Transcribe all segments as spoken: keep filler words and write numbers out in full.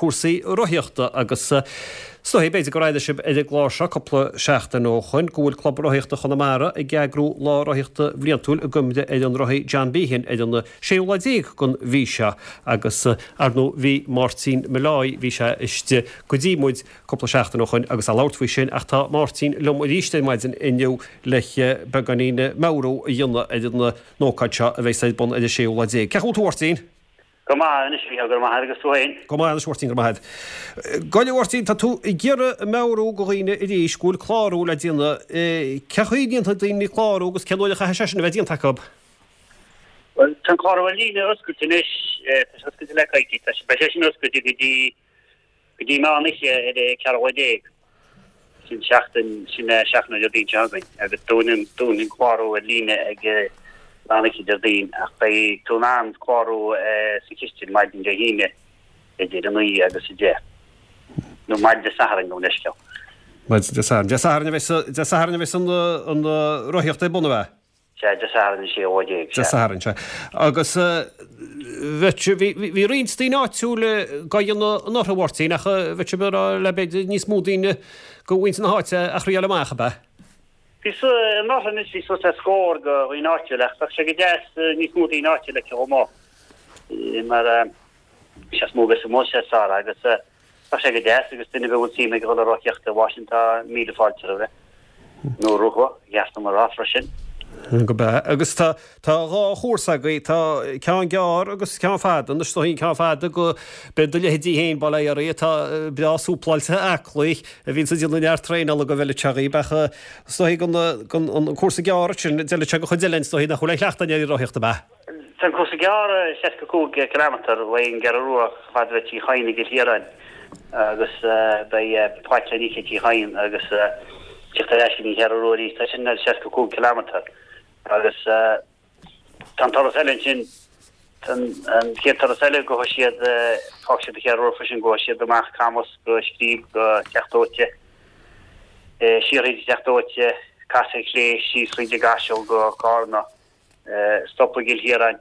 cúrsaí rothaíochta agus is dóigh b'fhéidir gur airigh sibh ar an gclár seo cúpla seachtain ó shoin go bhfuil Club Rothaíochta Chonamara ag eagrú lá rothaíochta bhliantúil i gcuimhne ar an rothaí John Behan ar an séú lá déag den mhí seo agus ar ndóigh bhí Máirtín Molloy bhí sé istigh go dtí muid cúpla seachtain ó shoin agus ag labhairt faoi sin ach tá Máirtín liom arís ar maidin inniu le beagáinín meabhrú a dhéanamh ar an ócáid seo a bheidh ar bun ar an séú lá déag. Cén chaoi a bhfuil tú a Mháirtín? Go maith anois bhí go maith agus tú féin. Go maith anois Mháirtín go maith. Gabh i leith a Mháirtín tá tú ag iarraidh meabhrú do dhaoine arís go bhfuil clárú le déanamh cén chaoi a ndéanfaidh daoine clárú agus cén uair a chaithfidh sé sin a bheith déanta acu. Well tá clárú ar líne oscailte anois tá sé oscailte le coicís tá sé beidh sé sin oscailte go dtí go dtí meán oíche ar an ceathrú lá déag. Sin seachtain sin seachtain Déardaoin seo chugainn agus dúnann dúnann clárú ar líne ag meán oíche Déardaoin ach beidh tú in ann clárú sa chistin maidin Dé hAoine idir a naoi agus a deich. Nó maidin Dé Sathairn nó leisceal. Maidin Dé Sathairn. Dé Sathairn a bheidh Dé Sathairn a bheidh an an rothaíocht ar bun a bheith. Sé Dé Sathairn sé ó déag. Dé Sathairn sé. Agus bhí roinnt daoine áitiúla ag déanamh anuraidh a Mháirtín ach bheadh sibh le b'fhéidir níos mó daoine go mhuintir na háite a thriáil amach ab ea. Bhí anuraidh anois bhí suas le scór de dhaoine áitiúla ach bheadh sé go deas níos mó daoine áitiúla aici chomh maith. Mar sé is mó bheith amuigh sé is fearr agus bheadh sé go deas agus duine a bhfuil suim ag dul ag rothaíocht i Washington míle fáilte roimhe. Nó roimhe, cheart dom a rá freisin. Go breá. Agus tá tá dhá chúrsa agaibh, tá ceann gearr agus ceann fada. Anois tá ceann fada go beidh do leithéidí féin bail ó Dhia oraibh atá breá súpláilte aclaí a bhíonns ag déanamh neart traenála go bhfeilfeadh sé dhaoib ach is dóigh gon gon an cúrsa gearr sin d'fheilfeadh sé go chuid eile is dóigh nach bhfuil aon chleachtadh ar an rothaíocht ab ea? Tá an cúrsa gearr seasca cúig kilometre uaidh an gCeathrú Rua chomh fada le Tigh Chadhain i gCill Chiaráin agus beidh Páirc Léiníce Tigh Chadhain agus teacht ar ais go dtí an Cheathrú Rua arís. Tá sin ar seasca cúig kilometre agus tá an turas eile ansin tá an chéad turas eile gabhfaidh siad fágfaidh siad an Cheathrú Rua freisin gabhfaidh siad amach Camas go Scríb go Teach Dóite siar thríd an Teach Dóite casadh ar chlé síos thríd an gCaiseal go Carna stop i gCill Chiaráin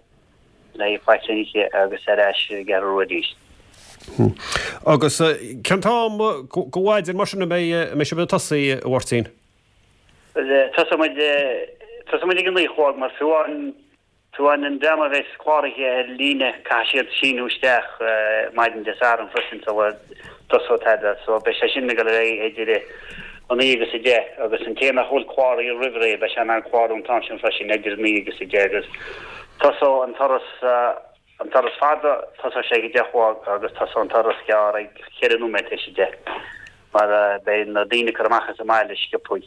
le Páirc Léiníce agus ar ais an gCeathrú Rua arís. Agus cén t-am go mhaidin mar sin a mbeidh a mbeidh sibh ag tosaí a Mháirtín? Tosóidh muid tosóidh muid ag a naoi a chlog mar fiú amháin fiú amháin an dream a bheas cláraithe ar líne caithfidh siad síniú isteach maidin Dé Sathairn freisin sula dtosóidh tada so beidh sé sin ag dul ar aghaidh idir a naoi agus a deich agus an té nach bhfuil cláraithe roimh ré beidh sé in ann clárú an t-am sin freisin idir a naoi agus a deich agus tosóidh an turas an turas fada tosóidh sé ag a deich a chlog agus tosóidh an turas gearr ag ceithre nóiméad tar éis a deich mar beidh na daoine ag cur amach as an mbaile sciobthaí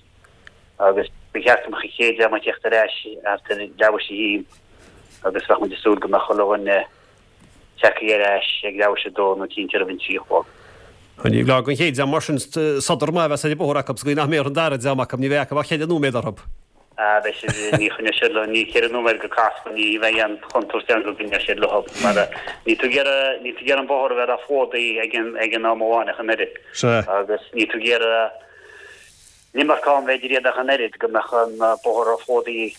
agus ba cheart go mbeadh an chéad dream ag teacht ar ais thart ar leathuair tar éis a haon agus bheadh muid ag súil go mbeadh chuile dhuine tagtha ar ais ag leathuair tar éis a dó nó cinnte roimh an trí a chlog. Ní bheadh an chéad dream mar sin sodar maith a bheas ar an bóthar acu sa gcaoi nach mbeidh ar an dara dream acu, ní bheidh acu ach ceithre nóiméad orthu. Ah, beidh siad, ní choinneoidh siad leo, ní ceithre nóiméad go Casla, ní bheidh aon chontúirt ann go gcoinneoidh siad leo mar níl tú ag iarraidh, níl tú ag iarraidh an bóthar a bheith róphlódaithe ag an, ag an am amháin ach an oiread. Sea. Agus níl tú ag iarraidh an iomarca am bheith idir iad ach an oiread, go mbeadh an bóthar róphlódaithe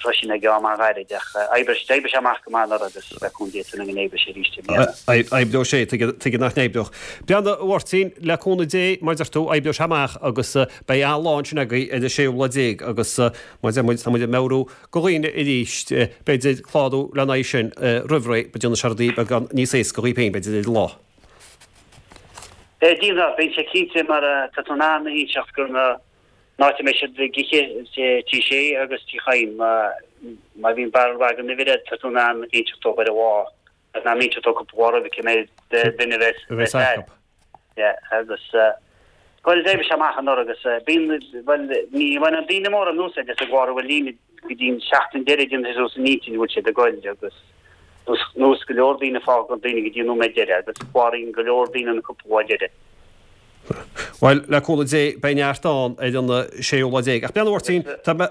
freisin ag am an-ghairid ach oibreoidh sé amach go maith anuraidh agus le cúnamh Dé tá súil agam go n-oibreoidh sé arís i mbliana. Oibreoidh sé, tuige nach n-oibreodh. Breathnaigh, a Mháirtín, le cúnamh Dé, mar a deir tú, oibreoidh sé amach agus beidh an-lá ansin agaibh ar an séú lá déag agus mar a deir muid, tá muid ag meabhrú do dhaoine arís, b'fhéidir clárú lena aghaidh sin roimh ré, go ndéanfaidh sé rudaí beagán níos éasca dhaoibh féin, b'fhéidir, ar an lá. Déanfaidh, beidh sé cinnte mar tá tú in ann inseacht go na an áit a mbeidh siad ag ithe, Tigh Sé agus Tigh Chadhain, má bhíonn barúil den uimhir agat tá tú in ann inseacht dóibh ar an lá, tá tú in ann inseacht dóibh cúpla lá roimhe cé mhéad duine a bheas agat. Yeah, agus bhuel d'oibrigh sé amach anuraidh agus bíonn, bhuel ní bhaineann daoine mórán úsáid as an gclárú ar líne go dtí an seachtain deiridh déanann siad suas a n-intinn an bhfuil siad ag goil agus Nós go leor daoine fágann daoine go dtí an nóiméad deiridh agus cláraíonn go leor daoine an cúpla lá deiridh. Bhuel, le cúnamh Dé, beidh neart ann ar an séú lá déag. Ach breathnaigh, a Mháirtín, tá mé,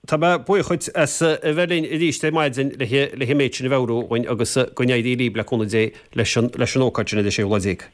tá mé buíoch dhuit as a bheith linn arís ar maidin le, le an méid sin a mheabhrú dhúinn agus go n-éirí libh, le cúnamh Dé, leis an, leis an ócáid sin ar an séú lá déag.